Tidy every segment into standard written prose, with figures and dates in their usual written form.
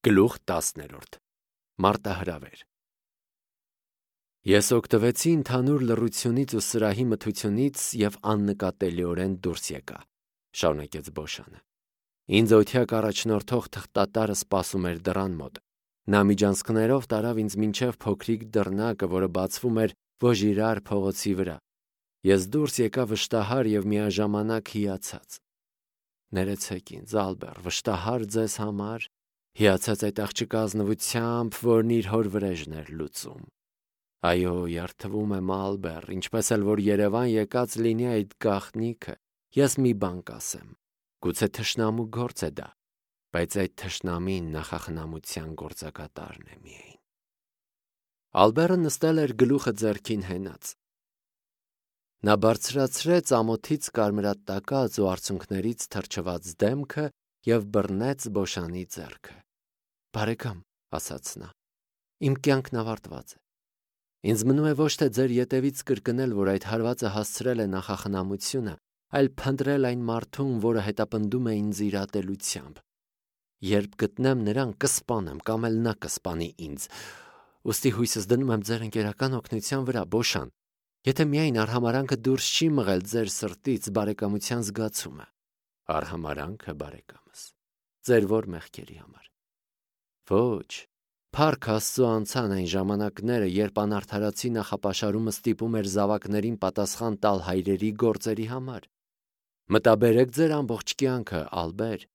Գլուխ 10 Մարտահրավեր Ես օգտվեցի ընդհանուր լռությունից ու սրահի մթությունից և աննկատելիորեն դուրս եկա, շարունակեց Բոշանը։ Ինձ օդյակ առաջնորդող թղթատարը սպասում էր դռան մոտ։ Նա միջանցքներով տարավ ինձ մինչև փոքրիկ դռնակը, որը բացվում էր Վոժիրար փողոցի վրա։ Ես դուրս եկա վշտահար և միաժամանակ հիացած։ Ներեցեք ինձ, Ալբեր, վշտահար ձեզ համար, հիացած այդ աղջկա ազնվությամբ, որն իր հոր վրեժն էր լուծում։ Այո, երդվում եմ, Ալբեր, ինչպես էլ որ Երևան եկած լինի այդ գաղտնիքը, ես մի բան կասեմ, գուցե թշնամու գործ է դա, բայց այդ թշնամին նախախնամության գործակատարն է միայն։ Ալբերը նստել էր գլուխը ձեռքին հենած։ Նա բարձրացրեց ամոթից կարմրատակած ու արցունքներից թրջված դեմքը և բռնեց Բոշանի ձեռքը։ Բարեկամ, ասաց նա, իմ կյանքն ավարտված է։ Ինձ մնում է ոչ թե ձեր ետևից կրկնել, որ այդ հարվածը հասցրել է նախախնամությունը, այլ փնտրել այն մարդուն, որը հետապնդում է ինձ իր ատելությամբ։ Երբ գտնեմ նրան, կսպանեմ կամ էլ նա կսպանի ինձ։ Ուստի հույսս դնում եմ ձեր ընկերական օգնության վրա, Բոշան, եթե միայն արհամարանքը դուրս չի մղել ձեր սրտից բարեկամության զգացումը։ Արհամարանքը, բարեկամս, ձեր ո՞ր մեղքերի համար։ Ոչ, փառք Աստծո անցան այն ժամանակները, երբ անարդարացի նախապաշարումը ստիպում էր զավակներին պատասխան տալ հայրերի գործերի համար։ Մտաբերեք ձեր ամբողջ կյանքը, Ալբեր։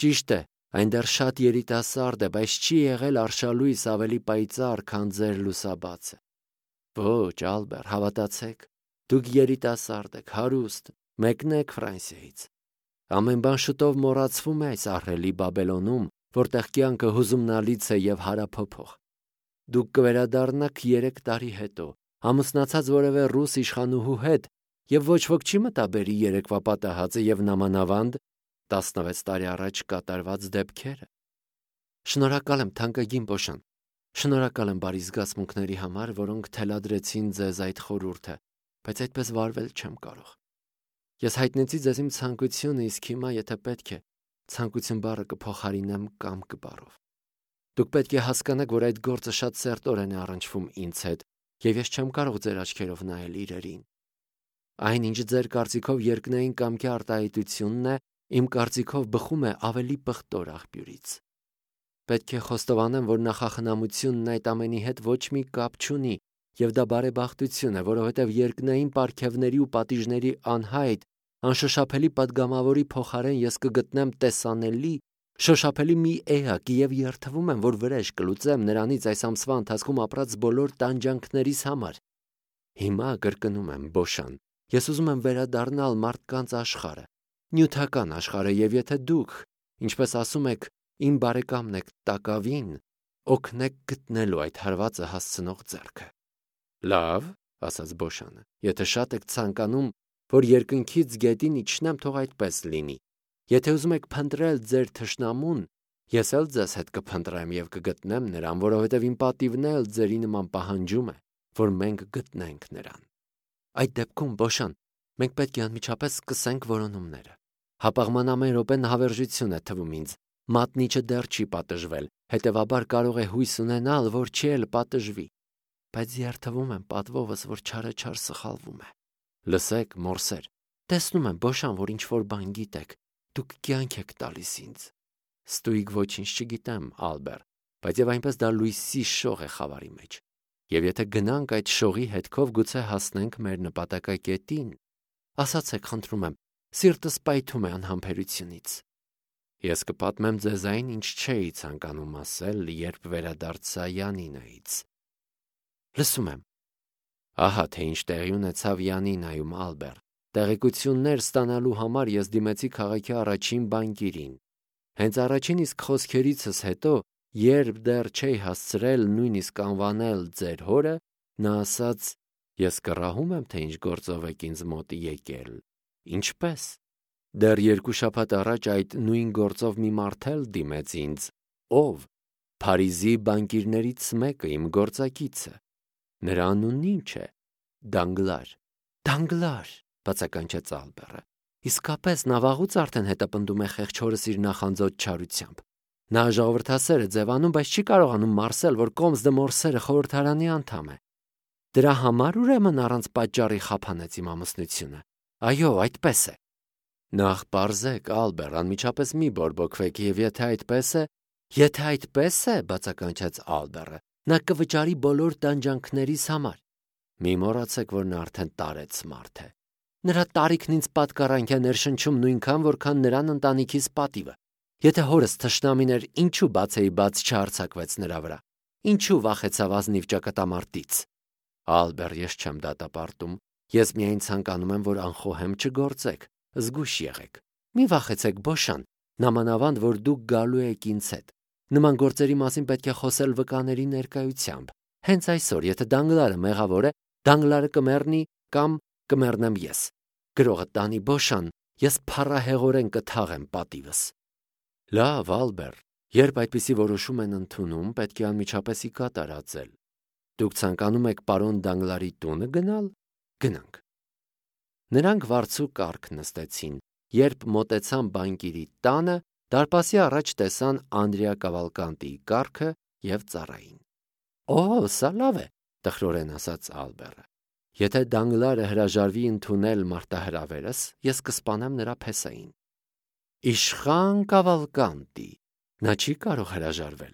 Ճիշտ է, այն դեռ շատ երիտասարդ է, բայց չի եղել արշալույս ավելի պայծառ, քան ձեր լուսաբացը։ Ոչ, Ալբեր, հավատացեք, դուք երիտասարդ եք, հարուստ, մեկնեք Ֆրանսիայից։ Ամեն բան շուտով մոռացվում է այս ահռելի Բաբելոնում, որտեղ կյանքը հուզումնալից է և հարափոփող։ Դուք կվերադառնաք 3 տարի հետո, ամուսնացած որևէ ռուս իշխանուհու հետ, և ոչ ոք չի մտաբերի երեկվա պատահածը և նամանավանդ 16 տարի առաջ կատարված դեպքերը։ Շնորհակալ եմ, թանկագին Բոշան, շնորհակալ եմ բարի զգացմունքների համար, որոնք թելադրեցին ձեզ այդ խորհուրդը, բայց այդպես վարվել չեմ կարող։ Ես հայտնեցի ձեզ իմ ցանկությունը, իսկ հիմա, եթե պետք է, ցանկություն բառը կփոխարինեմ կամք բառով։ Դուք պետք է հասկանաք, որ այդ գործը շատ սերտորեն է առնչվում ինձ հետ, և ես չեմ կարող ձեր աչքերով նայել իրերին։ Այն, ինչ ձեր կարծիքով երկնային կամքի արտահայտությունն է, իմ կարծիքով բխում է ավելի պղտոր աղբյուրից։ Պետք է խոստովանեմ, որ նախախնամությունն այդ ամենի հետ ոչ մի կապ չունի, և դա բարեբախտություն է, որովհետև երկնային պարգևների ու պատիժների անհայտ, անշոշափելի պատգամավորի փոխարեն ես կգտնեմ տեսանելի, շոշափելի մի էակ և երդվում եմ, որ վրեժ կլուծեմ նրանից այս ամսվա ընթացքում ապրած բոլոր տանջանքներիս համար։ Հիմա կրկնում եմ, Բոշան, ես ուզում եմ վերադառնալ մարդկանց աշխարհը, նյութական աշխարհը, և եթե դուք, ինչպես ասում եք, իմ բարեկամն եք տակավին, օգնեք գտնելու այդ հարվածը հասցնող ձեռքը։ Լավ, ասաց Բոշանը, եթե շատ եք ցանկանում, որ երկնքից գետին իջնեմ, թող այդպես լինի։ Եթե ուզում եք փնտրել ձեր թշնամուն, ես էլ ձեզ հետ կփնտրեմ և կգտնեմ նրան, որովհետև իմ պատիվն էլ ձերի նման պահանջում է, որ մենք գտնենք նրան։ Այդ դեպքում, Բոշան, մենք պետք է անմիջապես սկսենք որոնումները։ Հապաղման ամեն րոպեն հավերժություն է թվում ինձ։ Մատնիչը դեռ չի պատժվել, հետևաբար կարող է հույս ունենալ, որ չի էլ պատժվի։ Բայց երդվում եմ պատվովս, որ չարաչար սխալվում է։ Լսեք, մորսեր, տեսնում եմ, Բոշան, որ ինչ-որ բան գիտեք, դուք կյանք եք տալիս ինձ։ Ստույգ ոչինչ չգիտեմ, Ալբեր, բայց և այնպես դա լույսի շող է խավարի մեջ։ Եվ եթե գնանք այդ շողի հետքով, գուցե հասնենք մեր նպատակակետին։ Ասացեք, խնդրում եմ, սիրտս պայթում է անհամբերությունից։ Ես կպատմեմ ձեզ այն, ինչ չէի ցանկանում ասել, երբ վերադարձա Յանինայից։ Լսում եմ։ Ահա թե ինչ տեղի ունեցավ Յանինայում, Ալբեր։ Տեղեկություններ ստանալու համար ես դիմեցի քաղաքի առաջին բանկիրին։ Հենց առաջին իսկ խոսքերիցս հետո, երբ դեռ չէի հասցրել նույնիսկ անվանել ձեր հորը, նա ասաց. Ես կռահում եմ, թե ինչ գործով եք ինձ մոտ եկել։ Ինչպե՞ս։ Դեռ 2 շաբաթ առաջ այդ նույն գործով մի մարդ էլ դիմեց ինձ։ Ով։ Փարիզի բանկիրներից մեկը, իմ գործակիցը։ Նրա անունն ի՞նչ է։ Դանգլար։ Դանգլար, բացականչեց Ալբերը։ Իսկապես նա վաղուց արդեն հետապնդում է խեղճ հորս իր նախանձոտ չարությամբ։ Նա ժողովրդասեր է ձևանում, բայց չի կարողանում մարսել, որ Կոմս դե Մորսերը խորհրդարանի անդամ է։ Դրա համար ուրեմն առանց պատճառի խափանեց իմ ամուսնությունը։ Այո, այդպես է։ Նախ պարզեք, Ալբեր, անմիջապես մի բորբոքվեք, եւ եթե այդպես է, բացականչեց Ալբերը, նա կվճարի բոլոր տանջանքներիս համար։ Մի մոռացեք, որ նա արդեն տարեց մարդ է։ Նրա տարիքն ինձ պատկառանք է ներշնչում նույնքան, որքան նրան ընտանիքիս պատիվը։ Եթե հորս թշնամին էր, ինչու բացեի բաց չհարձակվեց նրա վրա։ Ինչու վախեցավ ազնիվ ճակատամարտից։ Ալբեր, ես չեմ դատապարտում։ Ես միայն ցանկանում եմ, որ անխոհեմ չգործեք, զգույշ եղեք։ Մի վախեցեք, Բոշան, նամանավանդ, որ դուք գալու եք ինձ հետ։ Նման գործերի մասին պետք է խոսել վկաների ներկայությամբ։ Հենց այսօր, եթե Դանգլարը մեղավոր է, Դանգլարը կմեռնի կամ կմեռնեմ ես։ Գրողը տանի, Բոշան, ես փառահեղորեն կթաղեմ պատիվս։ Լավ, Ալբեր, երբ այդպիսի որոշում են ընդունում, պետք է անմիջապես ի կատար ածել։ Դուք ցանկանում եք պարոն Դանգլարի տունը գնալ։ Գնանք։ Նրանք վարձու կառք նստեցին, երբ մոտեցան բանկիրի տանը, դարպասի առաջ տեսան Անդրեա Կավալկանտիի կառքը եւ ծառային։ Օ, սա լավ է, տխրորեն ասաց Ալբերը։ Եթե Դանգլարը հրաժարվի ընդունել մարտահրավերս, ես կսպանեմ նրա փեսային։ Իշխան Կավալկանտի, նա չի կարող հրաժարվել։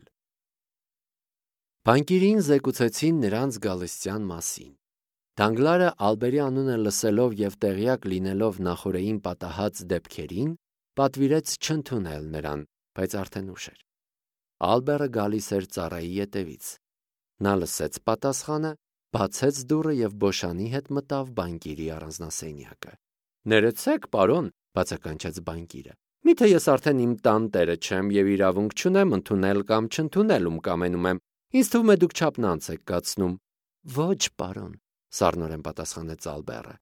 Բանկիրին զեկուցեցին նրանց գալստյան մասին։ Դանգլարը Ալբերի անունը լսելով եւ տեղյակ լինելով նախօրեին պատահած դեպքերին, պատվիրեց չընդունել նրան, բայց արդեն ուշ էր։ Ալբերը գալիս էր ծառայի ետևից։ Նա լսեց պատասխանը, բացեց դուռը եւ Բոշանի հետ մտավ բանկիրի առանձնասենյակը։ Ներեցեք, պարոն, բացականչեց բանկիրը։ Միթե ես արդեն իմ տան տերը չեմ եւ իրավունք չունեմ ընդունել կամ չընդունել ում կամենում եմ։ Ինձ թվում է դուք չափնանց եք կացնում։ Ոչ, պարոն, սառնորեն պատասխանեց Ալբերը։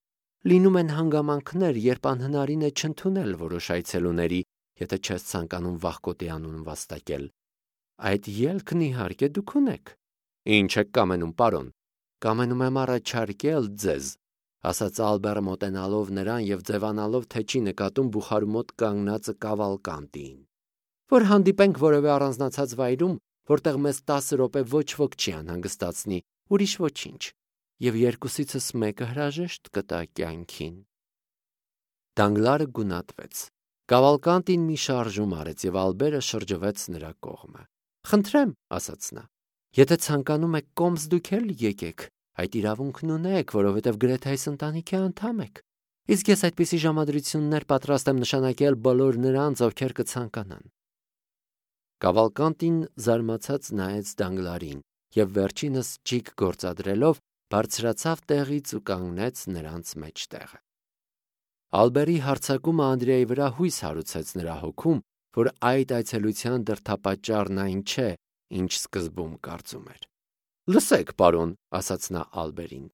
Լինում են հանգամանքներ, երբ անհնարին է չընդունել որոշ այցելուների, եթե չես ցանկանում վախկոտի անուն վաստակել։ Այդ ելքն իհարկե դուք ունեք։ Ինչ եք կամենում, պարոն։ Կամենում եմ առաջարկել ձեզ, ասաց Ալբերը մոտենալով նրան եւ ձևանալով, թե չի նկատում բուխարու մոտ կանգնածը Կավալկանտիին, որ հանդիպենք որևէ առանձնացած վայրում, որտեղ մեզ 10 րոպե ոչ ոք չի անհանգստացնի, ուրիշ ոչինչ, եւ երկուսիցս մեկը հրաժեշտ կտա կյանքին։ Դանգլարը գունատվեց։ Կավալկանտին մի շարժում արեց եւ Ալբերը շրջվեց նրա կողմը։ Խնդրեմ, ասաց նա, եթե ցանկանում եք Կոմս դուք էլ եկեք, այդ իրավունքն ունեք, որովհետեւ գրեթե այս ընտանիքի անդամ եք։ Իսկ ես այդպիսի ժամադրություններ պատրաստ եմ նշանակել բոլոր նրանց, ովքեր կցանկանան։ Կավալկանտին զարմացած նայեց Դանգլարին եւ վերջինս ճիգ գործադրելով բարձրացավ տեղից ու կանգնեց նրանց մեջտեղը։ Ալբերի հարձակումը Անդրեայի վրա հույս հարուցեց նրա հոգում, որ այդ այցելության դրդապատճառն այն չէ, ինչ սկզբում կարծում էր։ Լսեք, պարոն, ասաց նա Ալբերին,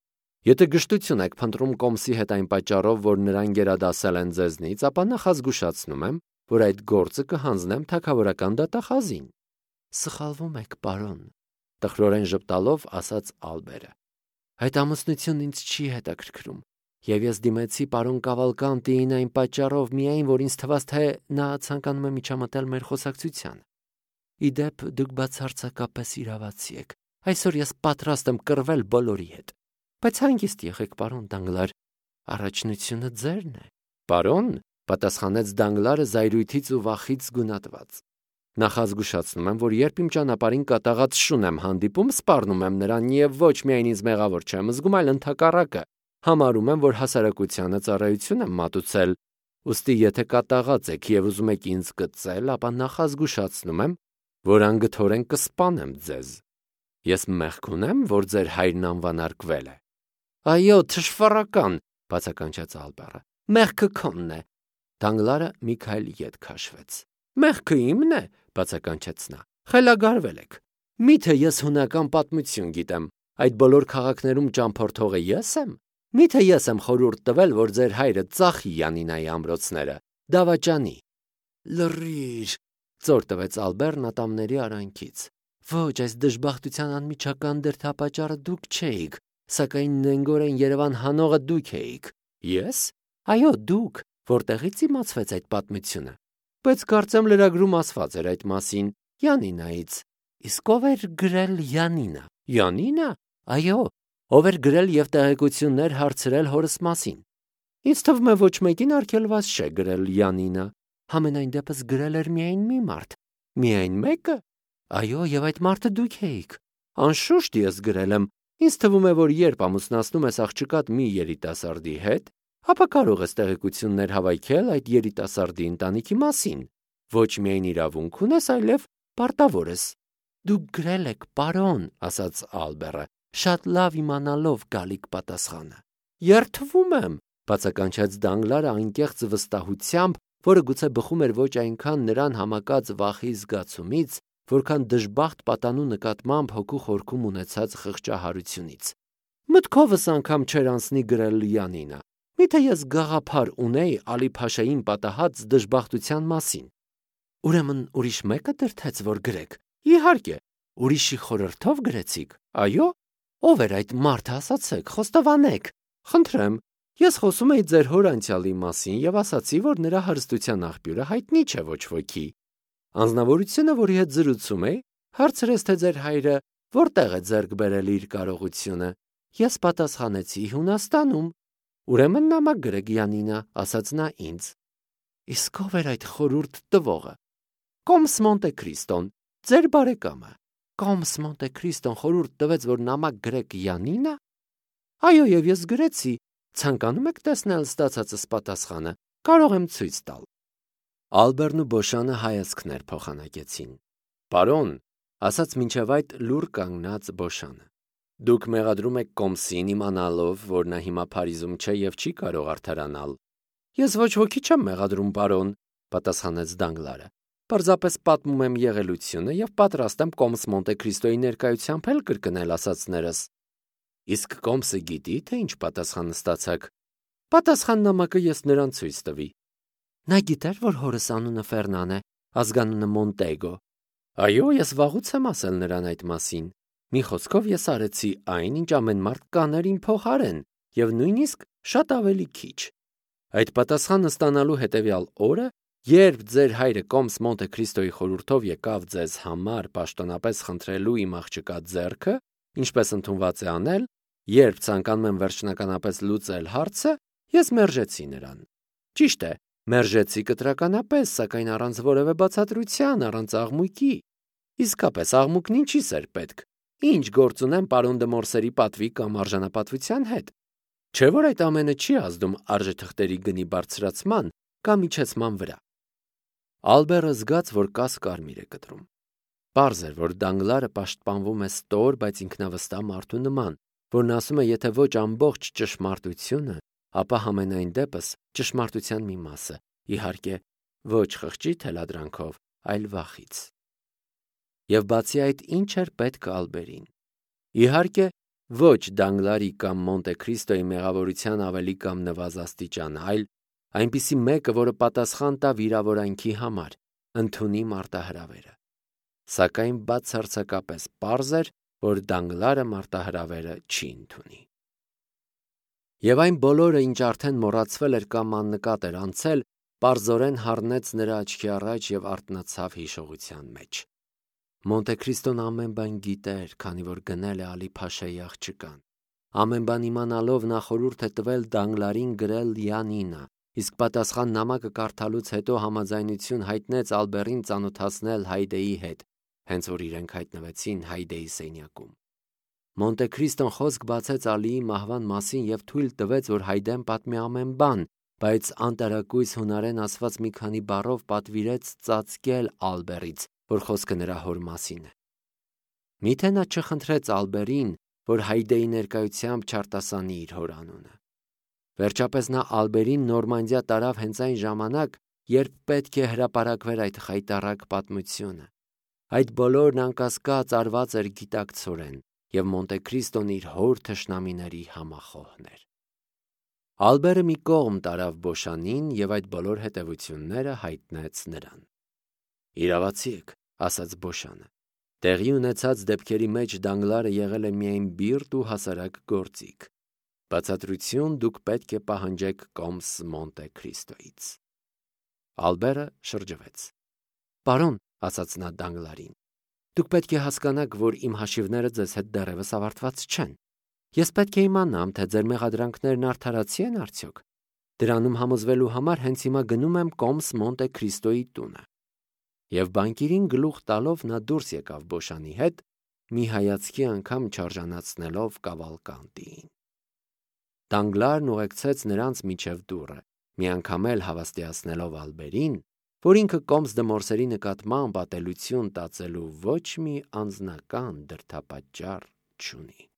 եթե գժտություն եք փնտրում Կոմսի հետ այն պատճառով, որ նրան գերադասել են ձեզնից, ապա նախազգուշացնում եմ, որ այդ գործը կհանձնեմ թագավորական դատախազին։ Սխալվում եք, պարոն, տխրորեն ժպտալով ասաց Ալբերը։ Այդ ամուսնությունն ինձ չի հետաքրքրում, եւ ես դիմեցի պարոն Կավալկանտիին այն պատճառով միայն, որ ինձ թվաց, թե նա ցանկանում է միջամտել մեր խոսակցությանը։ Իդեպ դուք բացարձակապես իրավացի եք։ Այսօր ես պատրաստ եմ կռվել բոլորի հետ։ Բայց հանգիստ եղեք, պարոն Դանգլար, առաջնությունը ձերն է։ Պարոն, պատասխանեց Դանգլարը զայրույթից ու վախից գունատված։ Նախազգուշացնում եմ, որ երբ իմ ճանապարհին կատաղած շուն եմ հանդիպում, սպառնում եմ նրան եւ ոչ միայն ինձ մեղավոր չեմ զգում, այլ ընդհակառակը համարում եմ, որ հասարակությանը ծառայություն եմ մատուցել։ Ուստի եթե կատաղած եք եւ ուզում եք ինձ կծել, ապա նախազգուշացնում եմ, որ անգթորեն կսպանեմ ձեզ։ Ես մեղք ունեմ, որ ձեր հայրն անվանարկվել է։ Այո, թշվառական, բացականչեց Ալբերը։ Մեղքը քոնն է։ Դանգլարը մի քայլ ետ քաշվեց։ Մեղքը իմն է, բացականչեց նա։ Խելագարվել եք։ Միթե ես հունական պատմություն գիտեմ։ Այդ բոլոր քաղաքներում ճամփորդողը ես եմ։ Միթե ես եմ խորհուրդ տվել, որ ձեր հայրը ծախի Յանինայի ամրոցները, դավաճանի։ Լռիր, ծոր տվեց Ալբերն ատամների արանքից։ Ոչ, այս դժբախտության անմիջական դրդապատճառը դուք չէիք, սակայն նենգորեն Երևան հանողը դուք էիք։ Ես։ Այո, դուք, որտեղից իմացվեց այդ պատմությունը։ Բայց կարծեմ լրագրում ասված էր այդ մասին, Յանինայից։ Իսկ ով էր գրել Յանինը։ Յանինը։ Այո, ով էր գրել եւ տեղեկություններ հարցրել հորս մասին։ Ինձ թվում է ոչ մեկին արգելված չէ գրել Յանինը։ Համենայն դեպս գրել էր միայն մի մարդ։ Միայն մեկը։ Այո, եւ այդ մարդը դուք էիք։ Անշուշտ ես գրել եմ։ Ինձ թվում է, որ երբ ամուսնացնում ես աղջկատ մի երիտասարդի հետ, ապա կարող ես տեղեկություններ հավաքել այդ երիտասարդի ընտանիքի մասին։ Ոչ միայն իրավունք ունես, այլև պարտավոր ես։ Դուք գրել եք, պարոն, ասաց Ալբերը, շատ լավ իմանալով գալիք պատասխանը։ Երդվում եմ, բացականչեց Դանգլարը անկեղծ վստահությամբ, որը գուցե բխում էր ոչ այնքան նրան համակած վախի զգացումից, որքան դժբախտ պատանու նկատմամբ հոգու խորքում ունեցած խղճահարությունից։ Մտքովս անգամ չէր անցնի գրել Յանինը։ Միթե ես գաղափար ունեի Ալի Փաշային պատահած դժբախտության մասին։ Ուրեմն ուրիշ մեկը դրդեց, որ գրեք։ Իհարկե, ուրիշի խորհրդով գրեցիք։ Այո, ով էր այդ մարդը, ասացեք, խոստովանեք։ Խնդրեմ, ես խոսում էի ձեր հոր անցյալի մասին եւ ասացի, որ նրա հարստության աղբյուրը հայտնի չէ ոչ ոքի։ Անձնավորությունը, որի հետ զրուցում էի, հարցրեց, թե ձեր հայրը որտեղ է ձեռք բերել իր կարողությունը։ Ես պատասխանեցի Հունաստանում։ Ուրեմն նամակ գրեք Յանինը, ասաց նա ինձ։ Իսկ ով էր այդ խորհուրդ տվողը։ Կոմս Մոնտե Քրիստոն, ձեր բարեկամը։ Կոմս Մոնտե Քրիստոն խորհուրդ տվեց, որ նամակ գրեք Յանինը։ Այո, եւ ես գրեցի։ Ցանկանում եք տեսնել ստացածս պատասխանը։ Կարող եմ ցույց տալ։ Ալբերն ու Բոշանը հայացքներ փոխանակեցին։ Պարոն, ասաց մինչև այդ լուր կանգնած Բոշանը։ Դուք մեղադրում եք Կոմսին իմանալով, որ նա հիմա Փարիզում չէ եւ չի կարող արդարանալ։ Ես ոչ ոքի չեմ մեղադրում, պարոն, պատասխանեց Դանգլարը։ Պարզապես պատմում եմ եղելությունը եւ պատրաստ եմ Կոմս Մոնտե Քրիստոյի ներկայությամբ էլ կրկնել ասածներս։ Իսկ Կոմսը գիտի, թե ինչ պատասխան ստացաք։ Պատասխան նամակը ես նրան ցույց տվի։ Նա գիտեր, որ հորս անունը Ֆերնան է, ազգանունը Մոնտեգո։ Այո, ես վաղուց եմ ասել նրան այդ մասին։ Մի խոսքով ես արեցի այն, ինչ ամեն մարդ կաներ իմ փոխարեն, եւ նույնիսկ շատ ավելի քիչ։ Այդ պատասխանը ստանալու հետեւյալ օրը, երբ ձեր հայրը Կոմս Մոնտե Քրիստոյի խորհրդով եկավ ձեզ համար պաշտոնապես խնդրելու իմ աղջկա ձեռքը, ինչպես ընդունված է անել, երբ ցանկանում եմ վերջնականապես լուծել հարցը, ես մերժեցի նրան։ Ճիշտ է, մերժեցի կտրականապես, սակայն առանց որևէ բացատրության, առանց աղմուկի։ Իսկապես աղմուկն ինչի՞ս էր պետք։ Ինչ գործ ունեմ պարոն դե Մորսերի պատվի կամ արժանապատվության հետ։ Չէ՞ որ այդ ամենը չի ազդում արժեթղթերի գնի բարձրացման կամ իջեցման վրա։ Ալբերը զգաց, որ կաս կարմիր է կտրում։ Պարզ էր, որ Դանգլարը պաշտպանվում է ստոր, բայց ինքնավստահ մարդու նման, որն ասում է, եթե ոչ ամբողջ ճշմարտությունը, ապա համենայն դեպս ճշմարտության մի մասը, իհարկե, ոչ խղճի թելադրանքով, այլ վախից։ Եվ բացի այդ, ինչ էր պետք Ալբերին։ Իհարկե, ոչ Դանգլարի կամ Մոնտե Քրիստոյի մեղավորության ավելի կամ նվազաստիճան, այլ այնպիսի մեկը, որը պատասխան տա վիրավորանքի համար, ընդունի մարտահրավերը։ Սակայն բացարձակապես պարզ էր, որ Դանգլարը մարտահրավերը չի ընդունի։ Եվ այն բոլորը, ինչ արդեն մոռացվել էր կամ աննկատ էր անցել, պարզորեն հառնեց նրա աչքի առաջ եւ արթնացավ հիշողության մեջ։ Մոնտե Քրիստոն ամեն բան գիտեր, քանի որ գնել է Ալի Փաշայի աղջկան։ Ամեն բան իմանալով նա խորհուրդ է տվել Դանգլարին գրել Յանինը, իսկ պատասխան նամակը կարդալուց հետո համաձայնություն հայտնեց Ալբերին ծանոթացնել Հայդեի հետ, հենց որ իրենք հայտնվեցին Հայդեի սենյակում։ Մոնտե Քրիստոն խոսք բացեց Ալիի մահվան մասին եւ թույլ տվեց, որ Հայդեն պատմի ամեն բան, բայց անտարակույս հունարեն ասված մի քանի բառով պատվիրեց ծածկել Ալբերից, որ խոսքը նրա հոր մասին է։ Միթե նա չխնդրեց Ալբերին, որ Հայդեի ներկայությամբ չարտասանի իր հոր անունը։ Վերջապես նա Ալբերին Նորմանդիա տարավ հենց այն ժամանակ, երբ պետք է հրապարակվեր այդ խայտառակ պատմությունը։ Այդ բոլորն անկասկած արված էր գիտակցորեն, եւ Մոնտե Քրիստոն իր հոր թշնամիների համախոհն էր։ Ալբերը մի կողմ տարավ Բոշանին եւ այդ բոլոր հետևությունները հայտնեց նրան։ Իրավացի եք, ասաց Բոշանը։ Տեղի ունեցած դեպքերի մեջ Դանգլարը եղել է միայն բիրտ ու հասարակ գործիք։ Բացատրություն դուք պետք է պահանջեք Կոմս Մոնտե Քրիստոյից։ Ալբերը շրջվեց։ Պարոն, ասաց նա Դանգլարին։ Դուք պետք է հասկանաք, որ իմ հաշիվները ձեզ հետ դեռևս ավարտված չեն։ Ես պետք է իմանամ, թե ձեր մեղադրանքներն արդարացի են արդյոք։ Դրանում համոզվելու համար հենց հիմա գնում եմ Կոմս Մոնտե Քրիստոյի տունը։ Եվ բանկիրին գլուխ տալով նա դուրս եկավ Բոշանի հետ, մի հայացքի անգամ չարժանացնելով Կավալկանտիին։ Դանգլարն ուղեկցեց նրանց միջև դուռը, մի անգամ էլ հավաստիացնելով Ալբերին, որ ինքը Կոմս դե Մորսերի նկատմամբ ատելություն տածելու ոչ մի անձնական դրդապատճառ չունի։